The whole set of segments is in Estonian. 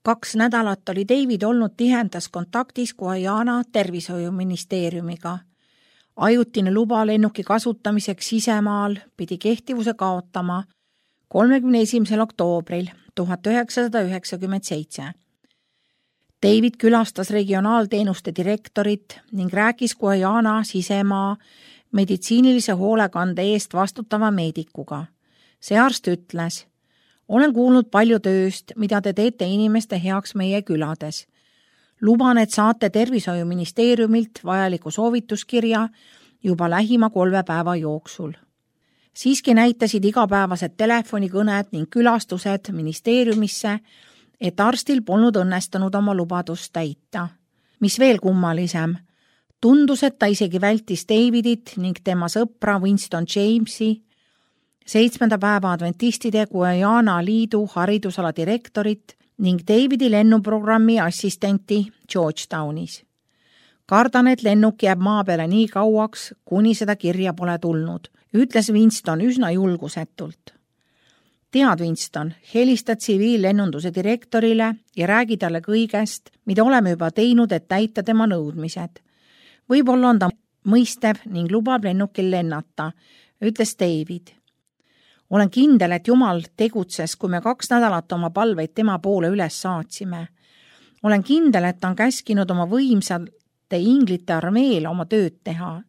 2 nädalat oli David olnud tihendas kontaktis Guyana tervishoiuministeeriumiga. Ajutine luba lennuki kasutamiseks sisemaal pidi kehtivuse kaotama 31. oktoobril 1997. David külastas regionaalteenuste direktorit ning rääkis Guyana sisemaa meditsiinilise hoolekande eest vastutava meedikuga. See arst ütles: olen kuulnud palju tööst, mida te teete inimeste heaks meie külades. Luban, et saate tervishoiuministeeriumilt vajaliku soovituskirja juba lähima 3 päeva jooksul. Siiski näitasid igapäevased telefonikõned ning külastused ministeeriumisse, et arstil polnud õnnestunud oma lubadust täita. Mis veel kummalisem, tundus, et ta isegi vältis Davidit ning tema sõpra Winston Jamesi, 7. päeva adventistide Guyana liidu haridusala direktorit ning Davidi lennuprogrammi assistenti Georgetownis. Kardan, et lennuk jääb maa peale nii kauaks, kuni seda kirja pole tulnud, ütles Winston üsna julgusetult. Tead, Winston, helista tsiviillennunduse direktorile ja räägi talle kõigest, mida oleme juba teinud, et täita tema nõudmised. Võib-olla on ta mõistev ning lubab lennukil lennata, ütles David. Olen kindel, et Jumal tegutses, kui me 2 nädalat oma palveid tema poole üles saatsime. Olen kindel, et ta on käskinud oma võimsate inglite armeel oma tööd teha.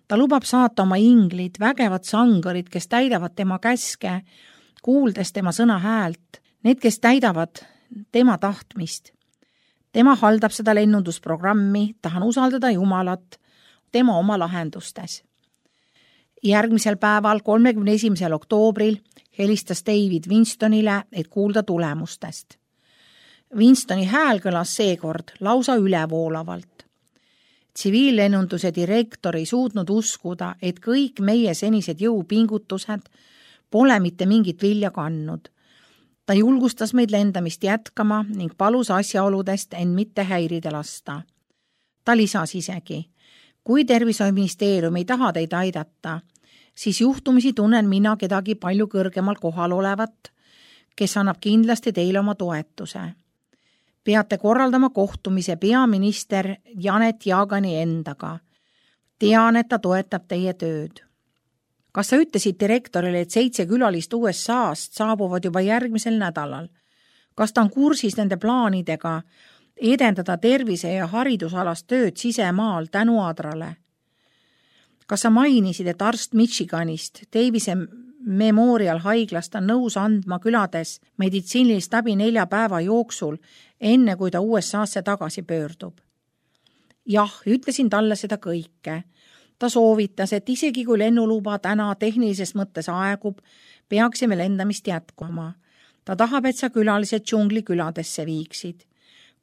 Ta lubab saata oma inglid, vägevad sangarid, kes täidavad tema käske, kuuldes tema sõna häält, need, kes täidavad tema tahtmist. Tema haldab seda lennundusprogrammi, tahan usaldada Jumalat tema oma lahendustes. Järgmisel päeval, 31. oktoobril, helistas David Winstonile, et kuulda tulemustest. Winstoni hääl kõlas seekord lausa ülevoolavalt. Tsiviillennunduse direktor ei suutnud uskuda, et kõik meie senised jõupingutused pole mitte mingit vilja kandnud. Ta julgustas meid lendamist jätkama ning palus asjaoludest end mitte häirida lasta. Ta lisas isegi: kui tervishoiuministeerium ei taha teid aidata, siis juhtumisi tunnen mina kedagi palju kõrgemal kohal olevat, kes annab kindlasti teile oma toetuse. Peate korraldama kohtumise peaminister Janet Jaagani endaga. Tean, et ta toetab teie tööd. Kas sa ütlesid direktorile, et 7 külalist USA-st saabuvad juba järgmisel nädalal? Kas ta on kursis nende plaanidega edendada tervise- ja haridusalast tööd sisemaal tänu Adrale? Kas sa mainisid, et arst Michiganist, Davise Memorial haiglast on nõus andma külades meditsiinilist abi 4 päeva jooksul, enne kui ta USA-sse tagasi pöördub? Jah, ütlesin talle seda kõike. Ta soovitas, et isegi kui lennuluba täna tehnilises mõttes aegub, peaksime lendamist jätkuma. Ta tahab, et sa külalised džungli küladesse viiksid.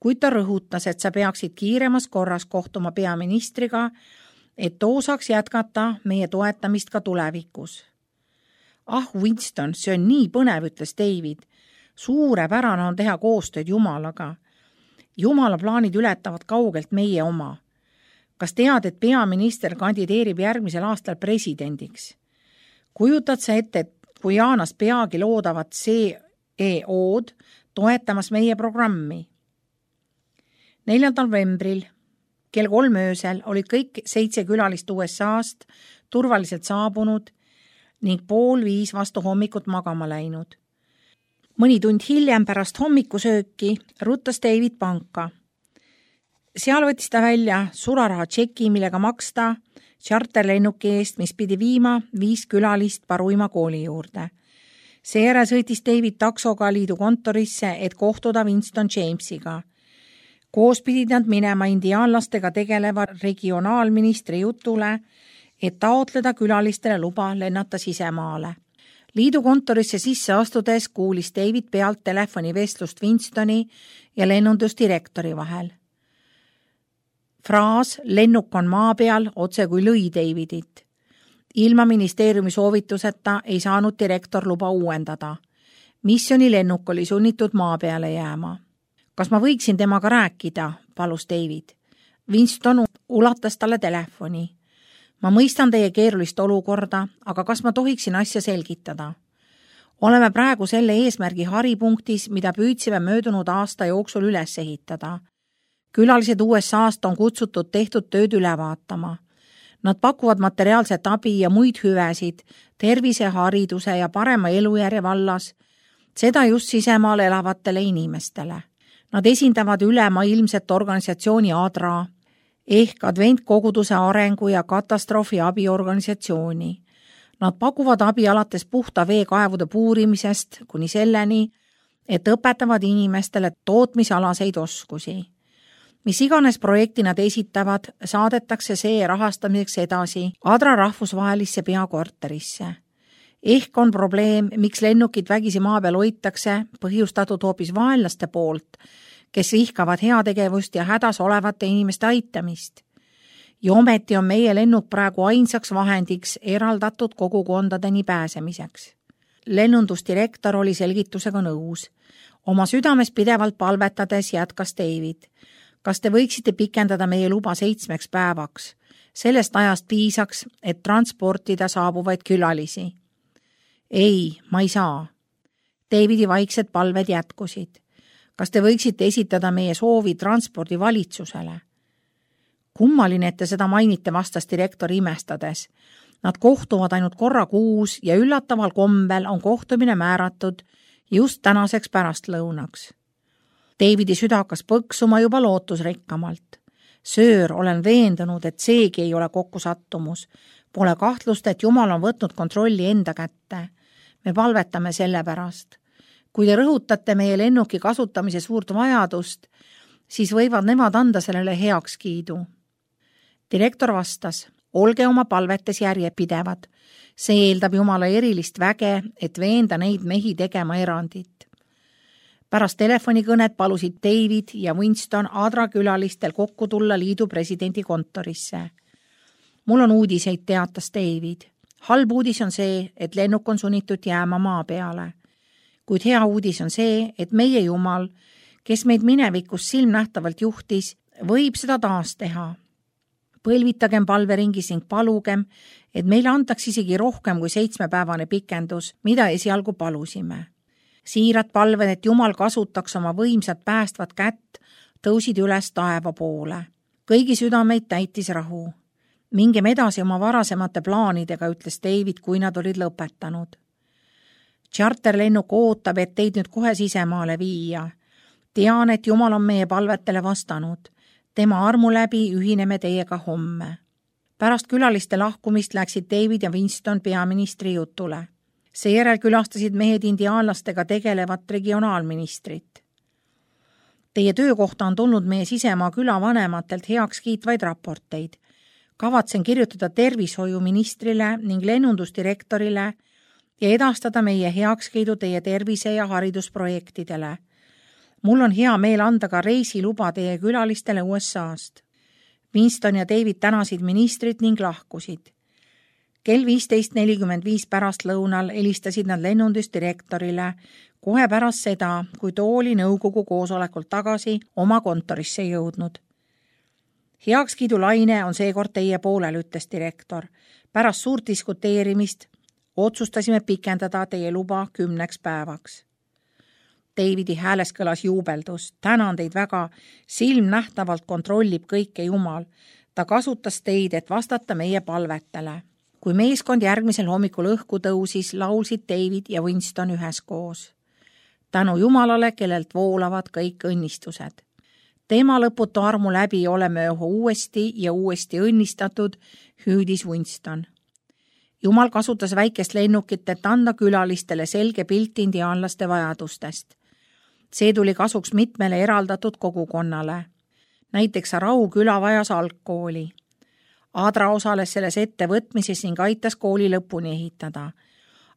Kuid ta rõhutas, et sa peaksid kiiremas korras kohtuma peaministriga, et too saaks jätkata meie toetamist ka tulevikus. Ah, Winston, see on nii põnev, ütles David. Suurepärane on teha koostööd Jumalaga. Jumala plaanid ületavad kaugelt meie oma. Kas tead, et peaminister kandideerib järgmisel aastal presidendiks? Kujutad sa ette, et Guyanas peagi loodavat CEO-d toetamas meie programmi? 4. novembril kell 3 öösel olid kõik 7 külalist USA-st turvaliselt saabunud ning 4:30 vastu hommikut magama läinud. Mõni tund hiljem pärast hommikusööki ruttas David panka. Seal võttis ta välja sularaha tšeki, millega maksta charterlennuki eest, mis pidi viima 5 külalist Paruima kooli juurde. Seejärel sõitis David taksoga liidu kontorisse, et kohtuda Winston Jamesiga. Koos pidid nad minema indiaanlastega tegeleva regionaalministri jutule, et taotleda külalistele luba lennata sisemaale. Liidu kontorisse sisse astudes kuulis David pealt telefonivestlust Winstoni ja lennundusdirektori vahel. Fraas "lennuk on maa peal" otse kui lõi Davidit. Ilma ministeeriumi soovituseta ei saanud direktor luba uuendada. Missioni lennuk oli sunnitud maa peale jääma. Kas ma võiksin temaga rääkida, palus David. Winston ulatas talle telefoni. Ma mõistan teie keerulist olukorda, aga kas ma tohiksin asja selgitada? Oleme praegu selle eesmärgi haripunktis, mida püüdsime möödunud aasta jooksul üles ehitada. Külalised USA-st on kutsutud tehtud tööd üle vaatama. Nad pakuvad materiaalset abi ja muid hüvesid tervise, hariduse ja parema elujärje vallas, seda just sisemaal elavatele inimestele. Nad esindavad ülemaailmset organisatsiooni ADRA ehk Adventkoguduse arengu ja katastroofi abiorganisatsiooni. Nad pakuvad abi alates puhta veekaevude puurimisest kuni selleni, et õpetavad inimestele tootmisalaseid oskusi. Mis iganes projekti nad esitavad, saadetakse see rahastamiseks edasi ADRA rahvusvahelisse peakorterisse. Ehk on probleem, miks lennukid vägisi maa peal hoitakse, põhjustatud hoopis vaenlaste poolt, kes vihkavad heategevust ja hädas olevate inimeste aitamist. Ja ometi on meie lennuk praegu ainsaks vahendiks eraldatud kogukondadeni pääsemiseks. Lennundusdirektor oli selgitusega nõus. Oma südames pidevalt palvetades jätkas David. Kas te võiksite pikendada meie luba 7 päevaks? Sellest ajast piisaks, et transportida saabuvaid külalisi. Ei, ma ei saa. Davidi vaiksed palved jätkusid. Kas te võiksite esitada meie soovi transpordi valitsusele? Kummaline, et te seda mainite, vastas direktor imestades. Nad kohtuvad ainult korra kuus ja üllataval kombel on kohtumine määratud just tänaseks pärastlõunaks. Davidi süda hakkas põksuma juba lootusrikkamalt. Söör, olen veendunud, et seegi ei ole kokkusattumus. Pole kahtlust, et Jumal on võtnud kontrolli enda kätte. Me palvetame selle pärast. Kui te rõhutate meie lennuki kasutamise suurt vajadust, siis võivad nemad anda sellele heakskiidu. Direktor vastas, olge oma palvetes järjepidevad. See eeldab Jumala erilist väge, et veenda neid mehi tegema erandit. Pärast telefonikõnet palusid David ja Winston ADRA külalistel kokku tulla liidu presidendi kontorisse. Mul on uudiseid, teatas David. Halb uudis on see, et lennuk on sunnitud jääma maa peale. Kuid hea uudis on see, et meie Jumal, kes meid minevikus silmnähtavalt juhtis, võib seda taas teha. Põlvitagem palveringis ning palugem, et meile antaks isegi rohkem kui 7-päevane pikendus, mida esialgu palusime. Siirad palved, et Jumal kasutaks oma võimsat päästvat kätt, tõusid üles taeva poole. Kõigi südameid täitis rahu. Mingem edasi oma varasemate plaanidega, ütles David, kui nad olid lõpetanud. Charterlennuk ootab, et teid nüüd kohe sisemaale viia. Tean, et Jumal on meie palvetele vastanud. Tema armu läbi ühineme teiega homme. Pärast külaliste lahkumist läksid David ja Winston peaministri jutule. Seejärel külastasid mehed indiaanlastega tegelevat regionaalministrit. Teie töökohta on tulnud meie sisemaa külavanematelt heaks kiitvaid raporteid. Kavatsen kirjutada tervishoiuministrile ning lennundusdirektorile ja edastada meie heakskiidu teie tervise- ja haridusprojektidele. Mul on hea meel anda ka reisiluba teie külalistele USA-st. Winston ja David tänasid ministrit ning lahkusid. Kell 15:45 pärastlõunal helistasid nad lennundusdirektorile kohe pärast seda, kui too oli nõukogu koosolekult tagasi oma kontorisse jõudnud. Heakskiidulaine on seekord teie poolel, ütles direktor. Pärast suurt diskuteerimist otsustasime pikendada teie luba 10 päevaks. Davidi hääles kõlas juubeldus. Tänan teid väga, silmnähtavalt kontrollib kõike Jumal. Ta kasutas teid, et vastata meie palvetele. Kui meeskond järgmisel hommikul õhku tõusis, laulsid David ja Winston üheskoos. Tänu Jumalale, kellelt voolavad kõik õnnistused. Tema lõputu armu läbi oleme uuesti ja uuesti õnnistatud, hüüdis Winston. Jumal kasutas väikest lennukit, et anda külalistele selge pilt indiaanlaste vajadustest. See tuli kasuks mitmele eraldatud kogukonnale. Näiteks Arau küla vajas algkooli. ADRA osales selles ettevõtmises ning aitas kooli lõpuni ehitada.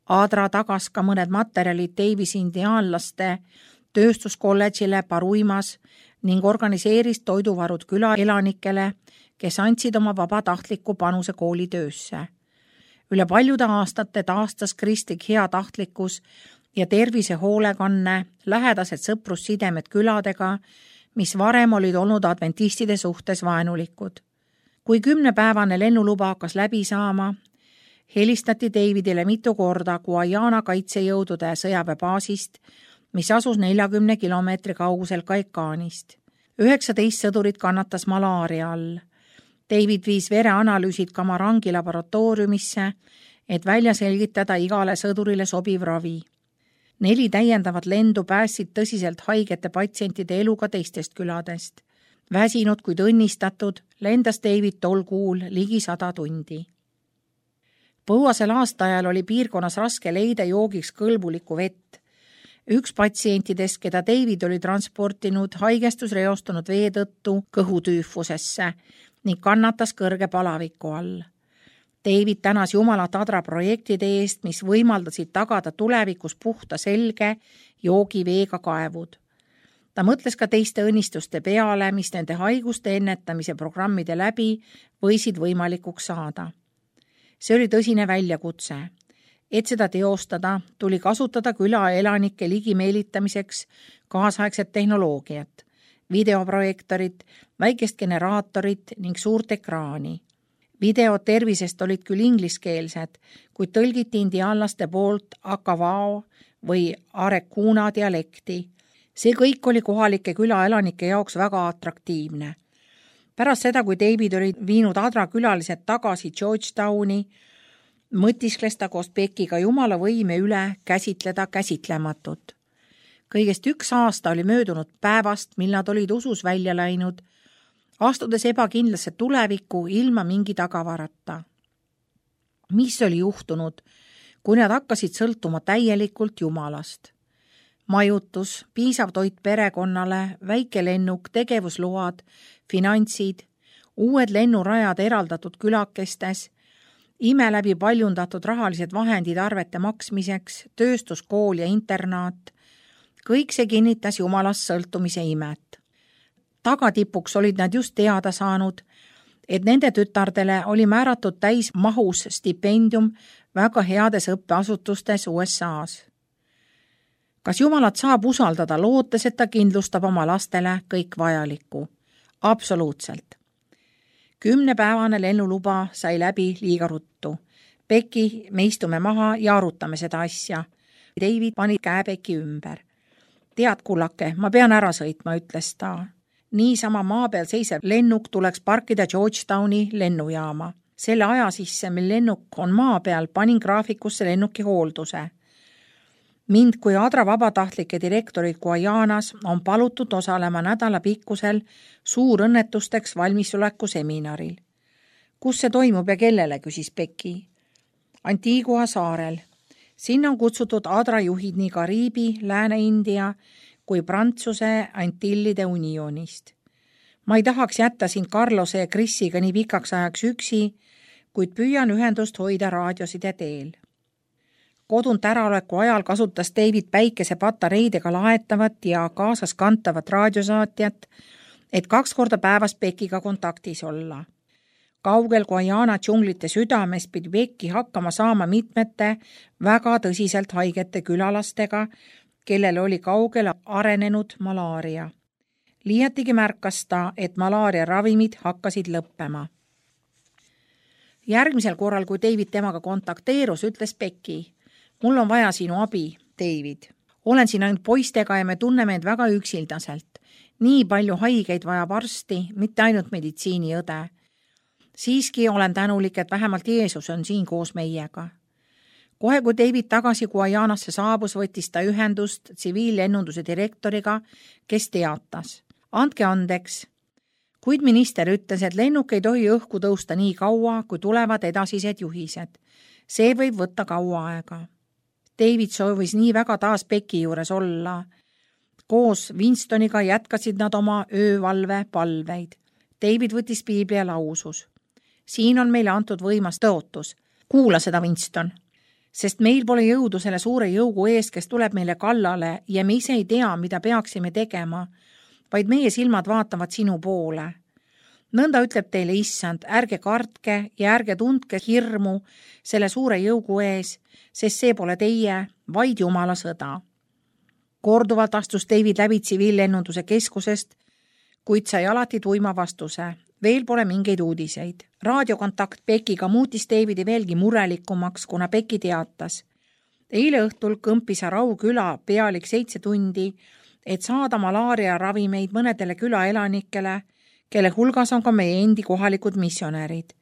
ADRA tagas ka mõned materjalid Davisi indiaanlaste tööstuskolledžile Paruimas ning organiseeris toiduvarud küla elanikele, kes andsid oma vabatahtliku panuse kooli töösse. Üle paljude aastate taastas kristlik heatahtlikkus ja tervisehoolekanne lähedased sõprussidemed küladega, mis varem olid olnud adventistide suhtes vaenulikud. Kui 10-päevane lennuluba hakkas läbi saama, helistati Davidile mitu korda Guyana kaitsejõudude sõjaväebaasist, mis asus 40 kilomeetri kaugusel Caicánist. 19 sõdurit kannatas malaaria all. David viis vereanalüüsid Kamarangi laboratooriumisse, et välja selgitada igale sõdurile sobiv ravi. 4 täiendavat lendu päästsid tõsiselt haigete patsientide elu ka teistest küladest. Väsinud kuid õnnistatud lendas David tol kuul ligi 100 tundi. Põuasel aastaajal oli piirkonnas raske leida joogiks kõlbulikku vett. Üks patsientidest, keda David oli transportinud, haigestus reostunud vee tõttu kõhutüüfusesse ning kannatas kõrge palaviku all. David tänas Jumalat Adra projektide eest, mis võimaldasid tagada tulevikus puhta selge joogiveega kaevud. Ta mõtles ka teiste õnnistuste peale, mis nende haiguste ennetamise programmide läbi võisid võimalikuks saada. See oli tõsine väljakutse. Et seda teostada, tuli kasutada küla elanike ligimeelitamiseks kaasaegset tehnoloogiat, videoprojektorit, väikest generaatorit ning suurt ekraani. Videod tervisest olid küll ingliskeelsed, kuid tõlgiti indiaanlaste poolt Akavao või Arekuna dialekti. See kõik oli kohalike külaelanike jaoks väga atraktiivne. Pärast seda, kui David oli viinud Adra külalised tagasi Georgetowni, mõtiskles ta koos Beckiga Jumala võime üle käsitleda käsitlematut. Kõigest 1 aasta oli möödunud päevast, mil nad olid usus välja läinud, astudes ebakindlasse tulevikku ilma mingi tagavarata. Mis oli juhtunud, kui nad hakkasid sõltuma täielikult Jumalast? Majutus, piisav toit perekonnale, väike lennuk, tegevusload, finantsid, uued lennurajad eraldatud külakestes, ime läbi paljundatud rahalised vahendid arvete maksmiseks, tööstuskool ja internaat, kõik see kinnitas Jumalast sõltumise imet. Tagatipuks olid nad just teada saanud, et nende tütardele oli määratud täismahus stipendium väga heades õppeasutustes USA-s. Kas Jumalat saab usaldada, lootes, et ta kindlustab oma lastele kõik vajalikku? Absoluutselt. 10-päevane lennuluba sai läbi liiga ruttu. Becki, me istume maha ja arutame seda asja. David pani käe Becki ümber. Tead, kullake, ma pean ära sõitma, ütles ta. Niisama maa peal seisev lennuk tuleks parkida Georgetowni lennujaama. Selle aja sisse, mil lennuk on maa peal, panin graafikusse lennuki hoolduse. Mind kui Adra vabatahtlike direktorid Guyanas on palutud osalema nädalapikkusel suurõnnetusteks valmisoleku seminaril. Kus see toimub ja kellele, küsis Becki. Antigua saarel. Sinna on kutsutud Adra juhid nii Kariibi, Lääne-India kui Prantsuse Antillide unionist. Ma ei tahaks jätta sind Carlose ja Chrisiga nii pikaks ajaks üksi, kuid püüan ühendust hoida raadioside teel. Kodunt äraoleku ajal kasutas David päikesepatareidega laetavat ja kaasas kantavat raadiosaatjat, et 2 korda päevas Beckiga kontaktis olla. Kaugel Guyana džunglite südames pidi Becki hakkama saama mitmete väga tõsiselt haigete külalastega, kellel oli kaugel arenenud malaaria. Liiatigi märkas ta, et malaaria ravimid hakkasid lõppema. Järgmisel korral, kui David temaga kontakteerus, ütles Becki: mul on vaja sinu abi, David. Olen siin ainult poistega ja me tunneme end väga üksildaselt. Nii palju haigeid vajab arsti, mitte ainult meditsiiniõde. Siiski olen tänulik, et vähemalt Jeesus on siin koos meiega. Kohe, kui David tagasi Guyanasse saabus, võttis ta ühendust tsiviillennunduse direktoriga, kes teatas: andke andeks. Kuid minister ütles, et lennuk ei tohi õhku tõusta nii kaua, kui tulevad edasised juhised. See võib võtta kaua aega. David soovis nii väga taas Becki juures olla. Koos Winstoniga jätkasid nad oma öövalve palveid. David võttis piibli ja lausus: siin on meile antud võimas tõotus. Kuula seda, Winston. Sest meil pole jõudu selle suure jõugu ees, kes tuleb meile kallale ja me ise ei tea, mida peaksime tegema, vaid meie silmad vaatavad sinu poole. Nõnda ütleb teile Issand, ärge kartke ja ärge tundke hirmu selle suure jõugu ees, sest see pole teie, vaid Jumala sõda. Korduvalt astus David läbi tsiviillennunduse keskusest, kuid sai alati tuima vastuse: Veel pole mingeid uudiseid. Raadiokontakt Bekiga muutis Davidi veelgi murelikumaks, kuna Beki teatas. Eile õhtul kõmpis Rauküla pealik 7 tundi, et saada malaaria ravimeid mõnedele külaelanikele, kelle hulgas on ka meie endi kohalikud missionärid.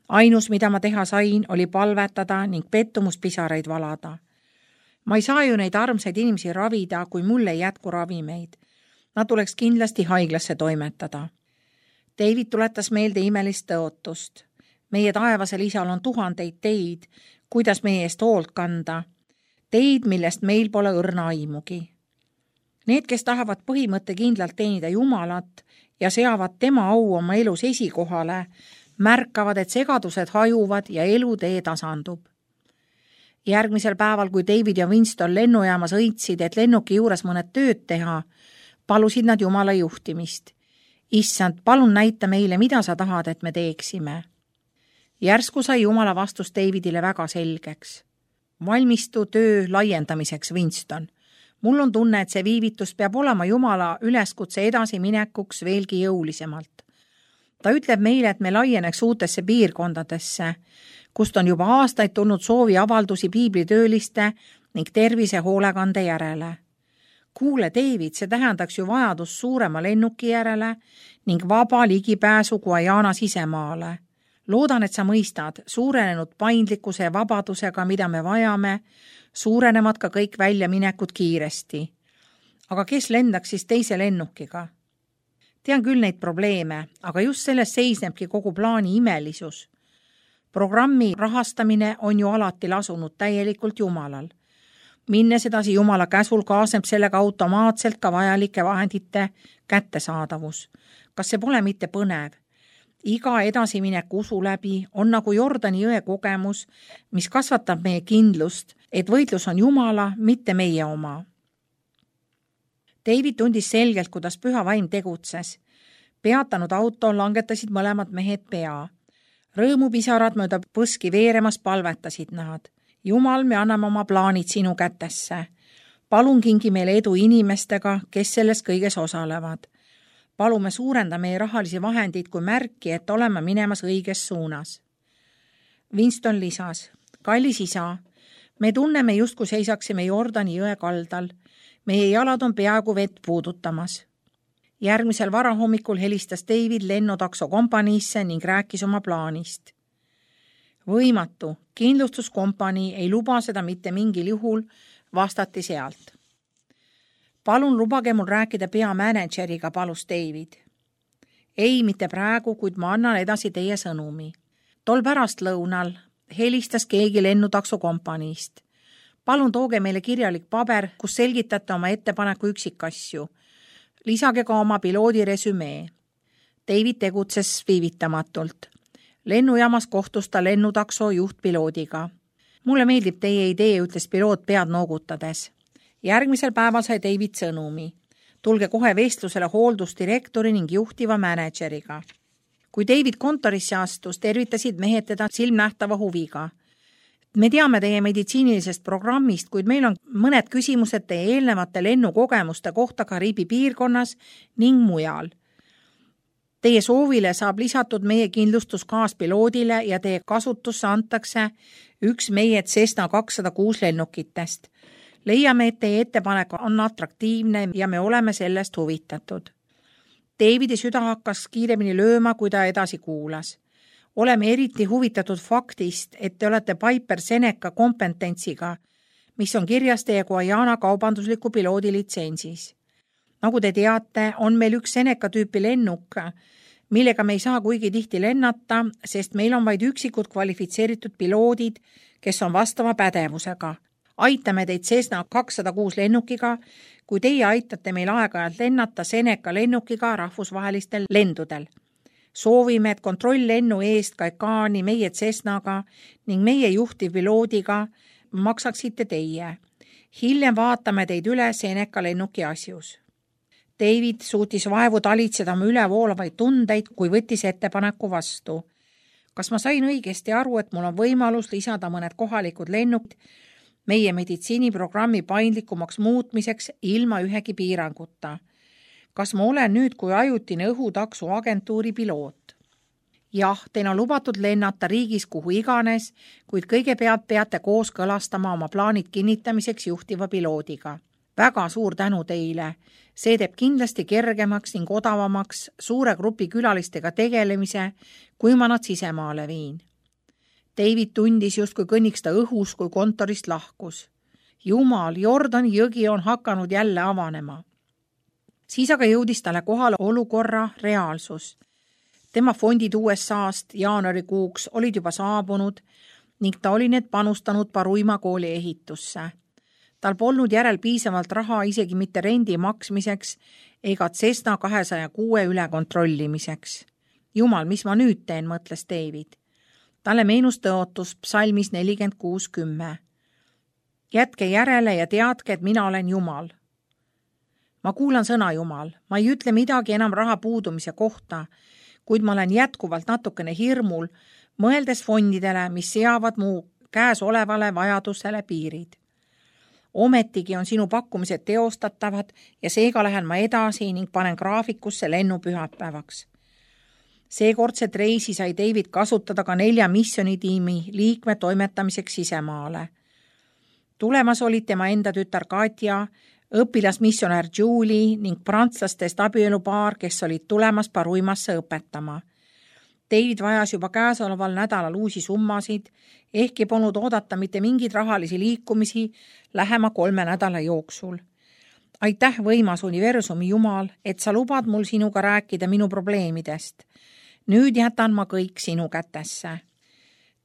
Ainus, mida ma teha sain, oli palvetada ning pettumuspisaraid valada. Ma ei saa ju neid armsaid inimesi ravida, kui mul ei jätku ravimeid. Nad tuleks kindlasti haiglasse toimetada. David tuletas meelde imelist tõotust. Meie taevasel isal on 1000 teid, kuidas meie eest hoolt kanda. Teid, millest meil pole õrna aimugi. Need, kes tahavad põhimõttekindlalt teenida Jumalat ja seavad tema au oma elus esikohale, märkavad, et segadused hajuvad ja elutee tasandub. Järgmisel päeval, kui David ja Winston lennujaamas õitsid, et lennuki juures mõned tööd teha, palusid nad Jumala juhtimist. Issand, palun näita meile, mida sa tahad, et me teeksime. Järsku sai Jumala vastus Davidile väga selgeks. Valmistu töö laiendamiseks, Winston. Mul on tunne, et see viivitus peab olema Jumala üleskutse edasiminekuks veelgi jõulisemalt. Ta ütleb meile, et me laieneks uutesse piirkondadesse, kust on juba aastaid tulnud soovi avaldusi piiblitööliste ning tervisehoolekande järele. Kuule, David, see tähendaks ju vajadus suurema lennuki järele ning vaba ligipääsu Guyana sisemaale. Loodan, et sa mõistad, suurenenud paindlikkuse ja vabadusega, mida me vajame, suurenevad ka kõik väljaminekud kiiresti. Aga kes lendaks siis teise lennukiga? Tean küll neid probleeme, aga just selles seisnebki kogu plaani imelisus. Programmi rahastamine on ju alati lasunud täielikult Jumalal. Minnes edasi Jumala käsul kaasneb sellega automaatselt ka vajalike vahendite kättesaadavus. Kas see pole mitte põnev? Iga edasiminek usu läbi on nagu Jordani jõe kogemus, mis kasvatab meie kindlust, et võitlus on Jumala, mitte meie oma. David tundis selgelt, kuidas püha vaim tegutses. Peatanud auto langetasid mõlemad mehed pea. Rõõmupisarad mööda põski veeremas palvetasid nad. Jumal, me anname oma plaanid sinu kätesse. Palun kingi meile edu inimestega, kes selles kõiges osalevad. Palume suurenda meie rahalisi vahendeid kui märki, et oleme minemas õiges suunas. Winston lisas, kallis isa, me tunneme justkui seisaksime Jordani jõe kaldal. Meie jalad on peaaegu vett puudutamas. Järgmisel varahommikul helistas David lennutakso kompaniisse ning rääkis oma plaanist. Võimatu, kindlustuskompanii ei luba seda mitte mingil juhul, vastati sealt. Palun lubage mul rääkida peamänedžeriga, palus David. Ei, mitte praegu, kuid ma annan edasi teie sõnumi. Tol pärastlõunal helistas keegi lennutakso kompaniist. Palun tooge meile kirjalik paber, kus selgitate oma ettepaneku üksikasju. Lisage ka oma piloodi resümee. David tegutses viivitamatult. Lennujaamas kohtus ta lennutakso juhtpiloodiga. Mulle meeldib teie idee, ütles piloot pead noogutades. Järgmisel päeval sai David sõnumi. Tulge kohe vestlusele hooldusdirektori ning juhtiva mänedžeriga. Kui David kontorisse astus, tervitasid mehed teda silmnähtava huviga. Me teame teie meditsiinilisest programmist, kuid meil on mõned küsimused teie eelnevate lennukogemuste kohta Kariibi piirkonnas ning mujal. Teie soovile saab lisatud meie kindlustus kaaspiloodile ja teie kasutusse antakse üks meie Cessna 206 lennukitest. Leiame, et teie ettepanek on atraktiivne ja me oleme sellest huvitatud. Davidi süda hakkas kiiremini lööma, kui ta edasi kuulas. Oleme eriti huvitatud faktist, et te olete Piper Seneca kompetentsiga, mis on kirjas teie Guyana kaubandusliku piloodi litsentsis. Nagu te teate, on meil üks Seneca tüüpi lennuk, millega me ei saa kuigi tihti lennata, sest meil on vaid üksikud kvalifitseeritud piloodid, kes on vastava pädevusega. Aitame teid Cessna 206 lennukiga, kui teie aitate meil aeg-ajalt lennata Seneca lennukiga rahvusvahelistel lendudel. Soovime, et kontrolllennu eest Caicani meie Cessnaga ning meie juhtivpiloodiga maksaksite teie. Hiljem vaatame teid üle Seneca lennuki asjus. David suutis vaevu talitseda oma ülevoolavaid tundeid, kui võttis ettepaneku vastu. Kas ma sain õigesti aru, et mul on võimalus lisada mõned kohalikud lennukid meie meditsiiniprogrammi paindlikumaks muutmiseks ilma ühegi piiranguta? Kas ma olen nüüd kui ajutine õhutaksu agentuuri piloot? jah, teil on lubatud lennata riigis kuhu iganes, kuid kõigepealt peate kooskõlastama oma plaanid kinnitamiseks juhtiva piloodiga. Väga suur tänu teile. See teeb kindlasti kergemaks ning odavamaks suure grupi külalistega tegelemise, kui ma nad sisemaale viin. David tundis justkui kõnniks ta õhus, kui kontorist lahkus. Jumal, Jordani jõgi on hakanud jälle avanema. Siis aga jõudis talle kohale olukorra reaalsus. Tema fondid USA-st jaanuarikuuks olid juba saabunud ning ta oli need panustanud Paruima kooli ehitusse. Tal polnud järel piisavalt raha isegi mitte rendi maksmiseks ega Cessna 206 üle kontrollimiseks. Jumal, mis ma nüüd teen, mõtles David. Talle meenus tõotus psalmis 46:10. Jätke järele ja teadke, et mina olen Jumal. Ma kuulan sõna Jumal. Ma ei ütle midagi enam raha puudumise kohta, kuid ma olen jätkuvalt natukene hirmul, mõeldes fondidele, mis seavad mu käes olevale vajadusele piirid. Ometigi on sinu pakkumised teostatavad ja seega lähen ma edasi ning panen graafikusse lennu pühapäevaks. Seekordset reisi sai David kasutada ka 4 missionitiimi liikme toimetamiseks sisemaale. Tulemas olid tema enda tütar Katja, õpilasmissionär Julie ning prantslastest abielupaar, kes olid tulemas Paruimasse õpetama. David vajas juba käesoleval nädalal uusi summasid, ehkki polnud oodata mitte mingeid rahalisi liikumisi lähema 3 nädala jooksul. Aitäh, võimas universumi Jumal, et sa lubad mul sinuga rääkida minu probleemidest. Nüüd jätan ma kõik sinu kätesse.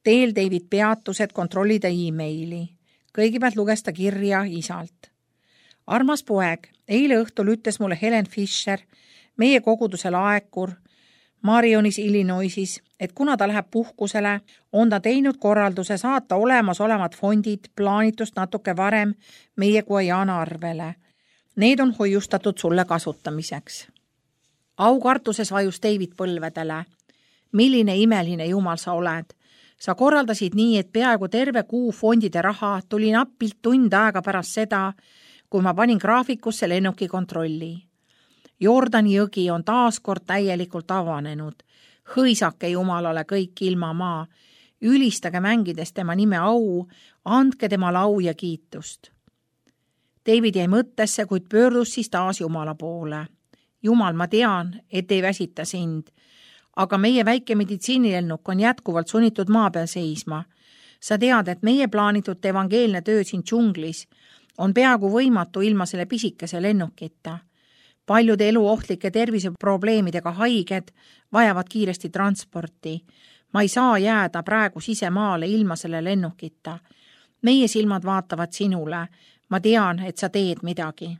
Teel David peatus, et kontrollida e-maili. Kõigepealt luges ta kirja isalt. Armas poeg, eile õhtul ütles mulle Helen Fisher, meie koguduse laekur, Marionis, Illinoisis, et kuna ta läheb puhkusele, on ta teinud korralduse saata olemasolevad fondid plaanitust natuke varem meie Guajana arvele. Need on hoiustatud sulle kasutamiseks. Aukartuses vajus David põlvedele. Milline imeline Jumal sa oled? Sa korraldasid nii, et peaaegu terve kuu fondide raha tuli nappilt tund aega pärast seda, kui ma panin graafikusse lennuki kontrolli. Jordani jõgi on taas kord täielikult avanenud. Hõisake Jumalale kõik ilma maa. Ülistage mängides tema nime au, andke temale au ja kiitust. David jäi mõttesse, kuid pöördus siis taas Jumala poole. Jumal, ma tean, et ei väsita sind, aga meie väike meditsiinilennuk on jätkuvalt sunnitud maa peal seisma. Sa tead, et meie plaanitud evangeelne töö siin džunglis on peaaegu võimatu ilma selle pisikese lennukita. Paljud eluohtlike terviseprobleemidega haiged vajavad kiiresti transporti. Ma ei saa jääda praegu sisemaale ilma selle lennukita. Meie silmad vaatavad sinule. Ma tean, et sa teed midagi.